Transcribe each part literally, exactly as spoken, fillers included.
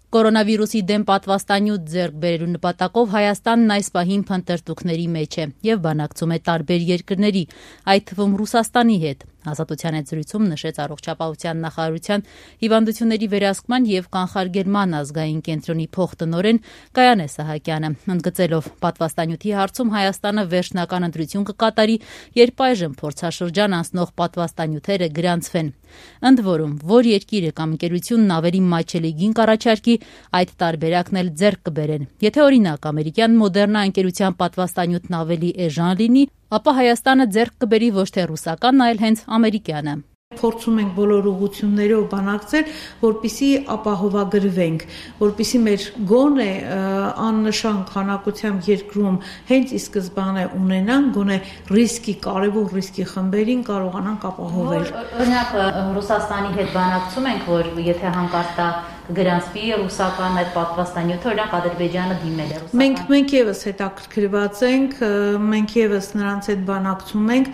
Կորոնավիրուսի դեմ պատվաստանյութ ձեռք բերելու նպատակով Հայաստանն այս պահին փնտրտուքների մեջ է եւ բանակցում է տարբեր երկրների, այդ թվում Ռուսաստանի հետ։ Ազատության հետ զրույցում նշեց առողջապահության նախարարության հիվանդությունների վերահսկման եւ կանխարգելման ազգային կենտրոնի փոխտնօրեն Գայանե Սահակյանը, ընդգծելով պատվաստանյութի հարցում Հայաստանը վերջնական ընտրություն կկատարի, երբ այժմ փորձաշրջան անցնող պատվաստանյութերը գրանցվեն։ Ընդ որում, որ երկիրը կամ ընկերությունն ավելի մատչելի գին կառաջարկի, այդ տարբերակն էլ ձեռք կբերեն։ Եթե օրինակ ամերիկյան Մոդեռնա ընկերության պատվաստանյութն ավելի էժան լինի, ապա Հայաստանը ձեռք կբերի ոչ թե ռուսական, այլ հենց ամերիկյանը։ Փորձում ենք բոլոր ուղղություններով բանակցել, որպեսզի ապահովագրվենք, որպեսզի մեր գոնե աննշան քանակությամբ երկրում հենց ի սկզբանե ունենան, գոնե ռիսկի կարևոր ռիսկի խմբերին կարողանանք ապահովել։ Օրինակ Ռուսաստանի հետ բանակցում ենք, որ եթե հանկարծ դա գրանցվի ռուսական այդ պատվաստանյութը, օրինակ Ադրբեջանը դիմել է ռուսական։ Մենք մենք եւս հետաքրքրված ենք, մենք եւս նրանց հետ բանակցում ենք,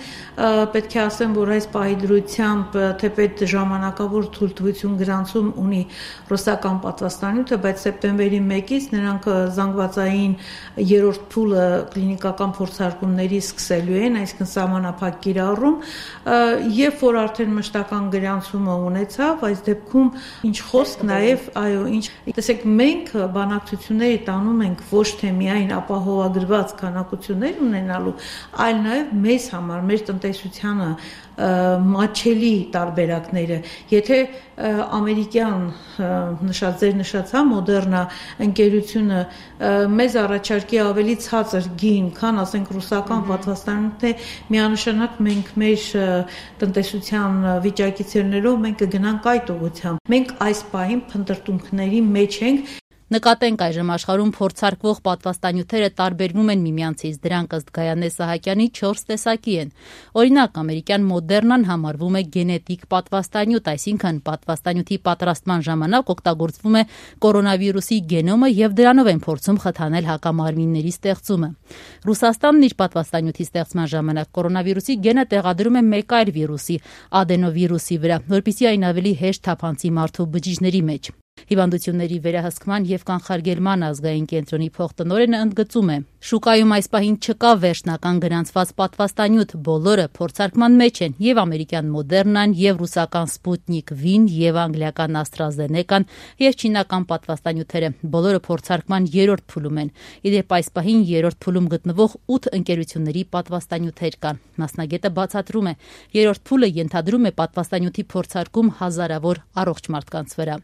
պետք է ասեմ, որ այս պահի դրությամբ թեպետ ժամանակավոր թույլտվություն գրանցում ունի ռուսական պատվաստանյութը, բայց սեպտեմբերի մեկից նրանք զանգվածային երրորդ փուլը կլինիկական փորձարկումների սկսելու են, այսինքն սահմանափակ կիրառում, երբ որ արդեն մշտական գրանցումը ունեցավ, այս դեպքում ինչ խոսք նաեւ այո, ինչ տեսեք, մենք բանակցությունների տանում ենք ոչ թե միայն ապահովագրված քանակություններ ունենալու, այլ նաև մեզ համար, մեր տնտեսությանը մատչելի տարբերակները։ Եթե ամերիկյան նշած ձեր նշած հա Մոդեռնա ընկերությունը մեզ առաջարկի ավելի ցածր գին, քան ասենք ռուսական պատվաստանյութն է, միանշանակ մենք մեր տնտեսության վիճակից ելնելով մենք կգնանք այդ ուղղությամբ։ Մենք այս պահին փնտրտուքների մեջ ենք։ Նկատենք այժմ աշխարհում փորձարկվող պատվաստանյութերը տարբերվում են միմյանցից, դրանք ըստ Գայանե Սահակյանի չորս տեսակի են։ Օրինակ, ամերիկյան Մոդեռնան համարվում է գենետիկ պատվաստանյութ, այսինքն պատվաստանյութի պատրաստման ժամանակ օգտագործվում է կորոնավիրուսի գենոմը եւ դրանով են փորձում խթանել հակամարմինների ստեղծումը։ Ռուսաստանն իր պատվաստանյութի ստեղծման ժամանակ կորոնավիրուսի գենը տեղադրում է մեկ այլ վիրուսի՝ ադենովիրուսի վրա, որպեսզի այն ավելի հեշտ թափանցի մարդու բջիջների մեջ։ Հիվանդությունների վերահսկման եւ կանխարգելման ազգային կենտրոնի փոխտնօրենը ընդգծում է. շուկայում այս պահին չկա վերջնական գրանցված պատվաստանյութ, բոլորը փորձարկման մեջ են եւ ամերիկյան Մոդեռնան, եւ ռուսական Սպուտնիկ վին, եւ անգլիական AstraZeneca-ն, եւ չինական պատվաստանյութերը, բոլորը փորձարկման երրորդ փուլում են։ Իդեպ այս պահին երրորդ փուլում գտնվող ութ ընկերությունների պատվաստանյութեր կան։ Մասնագետը բացատրում է, երրորդ փուլը ենթադրում է պատվաստանյութի փորձարկում հազարավոր առողջ մարդկանց վրա։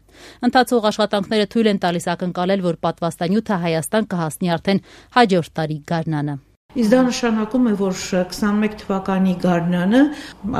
Ընթացող աշխատանքները թույլ են տալիս ակնկալել, որ պատվաստանյութը Հայաստան կհասնի արդեն հաջորդ տարի գարնանը։ Իսկ դա նշանակում է, որ քսանմեկ թվականի գարնանը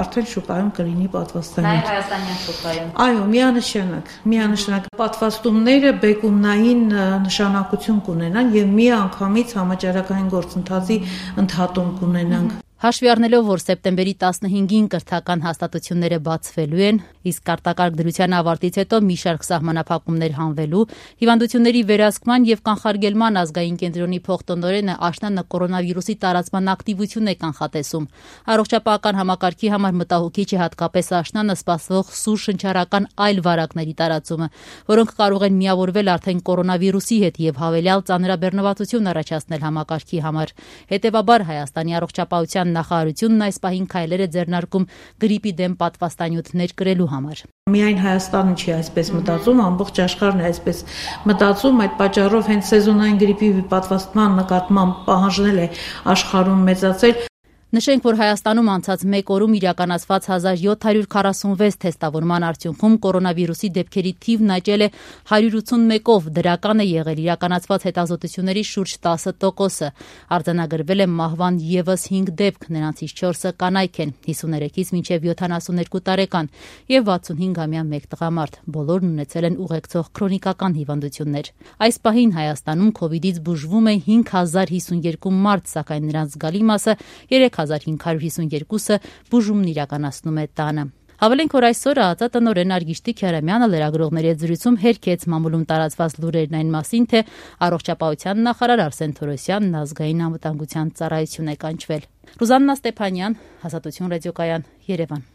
արդեն շուկայում կլինի պատվաստանյութ։ Նաև հայաստանյան շուկայում։ Այո, միանշանակ, միանշանակ պատվաստումները բեկումնային նշանակություն կունենան եւ միանգամից համաճարակային գործընթացի ընդհատում կունենանք։ Հաշվի առնելով, որ սեպտեմբերի տասնհինգին կրթական հաստատությունները բացվելու են, իսկ արտակարգ դրության ավարտից հետո մի շարք սահմանափակումներ հանվելու, հիվանդությունների վերահսկման եւ կանխարգելման ազգային կենտրոնի փոխտնօրենը աշնանը կորոնավիրուսի տարածման ակտիվություն է կանխատեսում։ Առողջապահական համակարգի համար մտահոգիչ է հատկապես աշնանը սպասվող սուր շնչառական այլ վարակների տարածումը, որոնք կարող են միավորվել արդեն կորոնավիրուսի հետ եւ հավելյալ ծանրաբեռնվածություն առաջացնել համակարգի համար։ Հետեւաբար Հայաստանի առողջապահության նախարարությունն այս պահին քայլեր է ձեռնարկում գրիպի դեմ պատվաստանյութ ներկրելու համար։ Միայն Հայաստանը չի այսպես մտածում, ամբողջ աշխարհն է այսպես մտածում, այդ պատճառով հենց սեզոնային գրիպի պատվաստման նկատմամբ պահանջնել է աշխարհում մեծացել։ Նշենք, որ Հայաստանում անցած մեկ օրում իրականացված հազար յոթ հարյուր քառասունվեց թեստավորման արդյունքում կորոնավիրուսի դեպքերի թիվն աճել է հարյուր ութսունմեկով, դրական է եղել իրականացված հետազոտությունների շուրջ տասը տոկոսը։ Արձանագրվել է մահվան եւս հինգ դեպք, նրանցից չորսը կանայք են, հիսուներեքից մինչև յոթանասուններկու տարեկան եւ վաթսունհինգամյա մեկ տղամարդ, բոլորն ունեցել են ուղեկցող քրոնիկական հիվանդություններ։ Այս պահին Հայաստանում քովիդից բուժվում է հինգ հազար հիսունյերկու մարդ, սակայն նրանց զգալի մասը երեք հազար հինգ հարյուր հիսունյերկուսը բուժումն իրականացնում է տանը։ Հավելենք, որ այսօր ԱԱԾ տնօրեն Արգիշտի Քյարամյանը լրագրողների հետ զրույցում հերքեց մամուլում տարածված լուրերն այն մասին, թե առողջապահության նախարար Արսեն Թորոսյանն ազգային անվտանգության ծառայություն է կանչվել։ Ռուզաննա Ստեփանյան, Ազատություն ռադիոկայան, Երևան։